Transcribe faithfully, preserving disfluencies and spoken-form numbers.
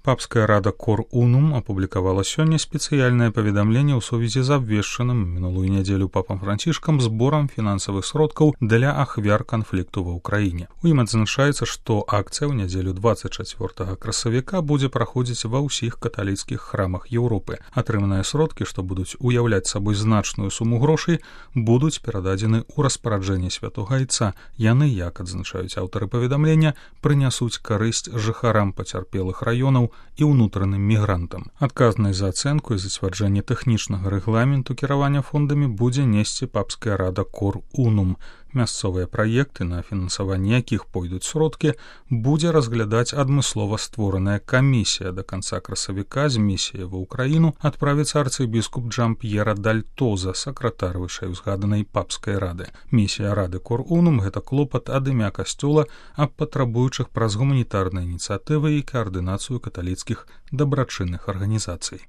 Папская рада Cor Unum апублікавала сёння спецыяльнае паведамленне ў сувязі з абвешчаным мінулую нядзелю папам Францішкам зборам фінансавых сродкаў для ахвяр канфлікту ва ўкраіне. У ім адзначаецца, што акцыя ў нядзелю дваццаць чацвёртага красавіка будзе праходзіць ва ўсіх каталіцкіх храмах Еўропы. Атрыманыя сродкі, што будуць уяўляць сабой значную суму грошай, будуць перададзены ў распараджэнне святога айца. Яны, як адзначаюць аўтары паведамлення, прынясуць карысць жыхарам пацярпелых раёнаў і ўнутраным мігрантам. Адказнасць за ацэнку і зацвярджэнне тэхнічнага рэгламенту кіравання фондамі будзе несці папская рада Cor Unum. Мясцовыя праекты, на фінансаванне якіх пойдуць сродкі, будзе разглядаць адмыслова створаная камісія. Да канца красавіка з місіяй ва ўкраіну адправіцца арцыбіскуп Джан-П'ера Дальтоза, сакратар вышэйузгаданай папскай рады. Місія рады Cor Unum — гэта клопат ад імя касцёла аб патрабуючых праз гуманітарныя ініцыятывы і каардынацыю каталіцкіх дабрачынных арганізацый.